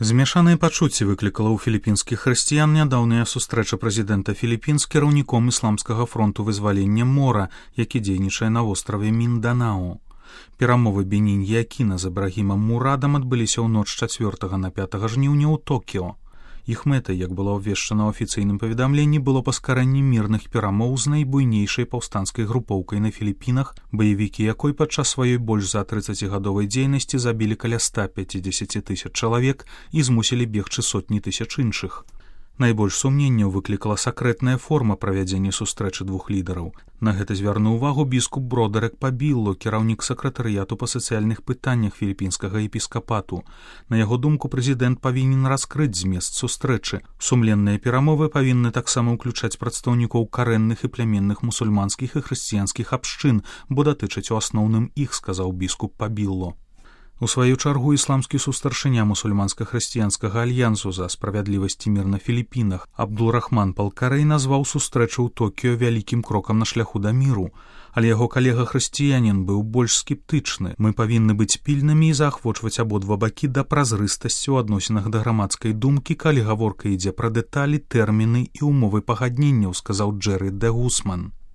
Змяшаныя пачуцці выклікала ў філіпінскіх хрысціян нядаўная сустрэча прэзідэнта Філіпін з кіраўніком ісламскага фронту вызвалення Мора, які дзейнічае на востраве Мінданау. Перамовы Бенінь і Акіна з Ібрагімам Мурадам адбыліся ў ноч 4 на 5 жніўня ў Токіо. Іх мэтай, як было абвешчана ў афіцыйным паведамленні, было паскарэнне мірных перамоў з найбуйнейшай паўстанцкай групоўкай на Філіпінах, баевікі якой падчас сваёй больш за 30гадовай дзейнасці забілі каля 150 000 чалавек і змусілі бегчы сотні тысяч іншых. Найбольш сумненняў выклікала сакрэтная форма правядзення сустрэчы двух лідараў. На гэта звярнуў увагу біскуп Бродерек Пабілло, кіраўнік сакратарыяту па сацыяльных пытаннях філіпінскага епіскапату. На яго думку, прэзідэнт павінен раскрыць змест сустрэчы. Сумленныя перамовы павінны таксама ўключаць прадстаўнікоў карэнных і плямінных мусульманскіх і хрысціянскіх абшчын, бо датычаць у асноўным іх, сказаў біскуп Пабілло. У сваю чаргу ісламскі сустаршыня мусульманска-хрысціянскага альянсу за справядлівасць і мір на Філіпінах Абдул-Рахман Палкарэй назваў сустрэчу ў Токіё вялікім крокам на шляху да міру, але яго калега-хрысціянін быў больш скептычны. Мы павінны быць пільнымі і заахвочваць абодва бакі да празрыстасці ў адносінах да грамадскай думкі, калі гаворка ідзе пра дэталі, тэрміны і ўмовы пагадненняў, сказаў Джэры Дэ Гусман.